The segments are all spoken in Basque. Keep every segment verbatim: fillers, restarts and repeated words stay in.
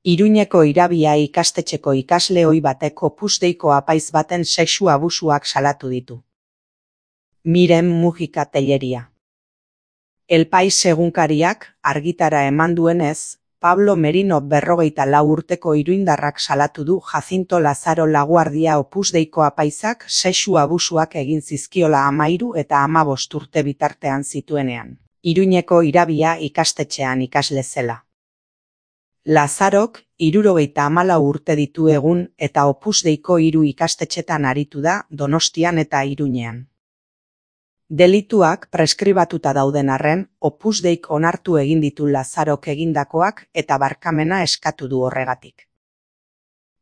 Iruñeko Irabia ikastetxeko ikasle ohi batek Opus Deiko apaiz baten sexu abusuak salatu ditu. Miren Mujika Telleria. El Pais egunkariak argitara eman duenez, Pablo Merino berrogeita lau urteko iruindarrak salatu du Jacinto Lazaro Laguardia Opus Deiko apaizak sexu abusuak egin zizkiola hamahiru eta hamabost urte bitartean zituenean, Iruñeko Irabia ikastetxean ikasle zela. Lazarok hirurogeita hamalau urte ditu egun eta Opus Deiko hiru ikastetxetan aritu da Donostian eta Iruñean. Delituak preskribatuta dauden arren, Opus Deik onartu egin ditu Lazarok egindakoak eta barkamena eskatu du horregatik.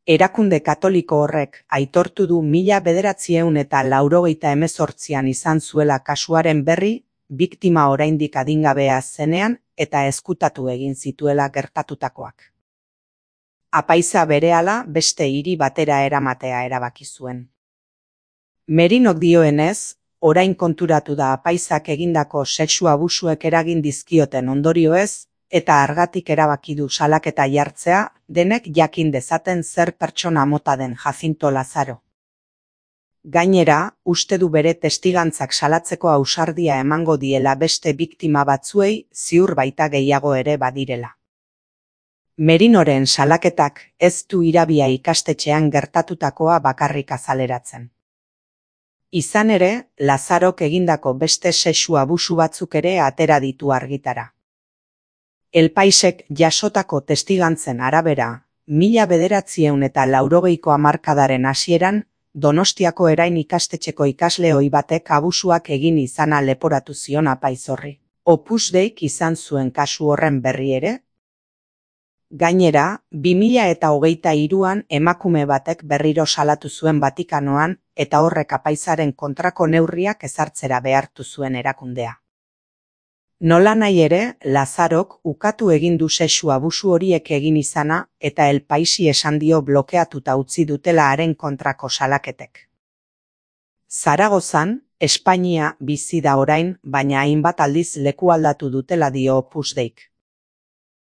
Erakunde katoliko horrek aitortu du mila bederatziehun eta laurogeita hemezortzian izan zuela kasuaren berri, biktima oraindik adingabea zenean eta ezkutatu egin zituela gertatutakoak. Apaiza berehala beste hiri batera eramatea erabaki zuen. Merinok dioenez, orain konturatu da apaizak egindako sexu abusuek eragin dizkioten ondorioez, eta argatik erabaki du salaketa jartzea, denek jakin dezaten zer pertsona mota den Jacinto Lazaro. Gainera, uste du bere testigantzak salatzeko ausardia emango diela beste biktima batzuei, ziur baita gehiago ere badirela. Merinoren salaketak ez du Irabia ikastetxean gertatutakoa bakarrik azaleratzen. Izan ere, Lazarok egindako beste sexu abusu batzuk ere atera ditu argitara. El Paisek jasotako testigantzen arabera, mila bederatziehun eta laurogeiko hamarkadaren hasieran, Donostiako Erain ikastetxeko ikasle ohi batek abusuak egin izana leporatu zion apaiz horri. Opus Deik izan zuen kasu horren berri ere? Gainera, bi mila eta hogeita hiruan emakume batek berriro salatu zuen Vatikanoan eta horrek apaizaren kontrako neurriak ezartzera behartu zuen erakundea. Nolanahi ere, Lazarok ukatu egin du sexu abusu horiek egin izana eta El Paisi esan dio blokeatuta utzi dutela haren kontrako salaketek. Zaragozan, Espainia bizi da orain, baina hainbat aldiz leku aldatu dutela dio Opus Deik.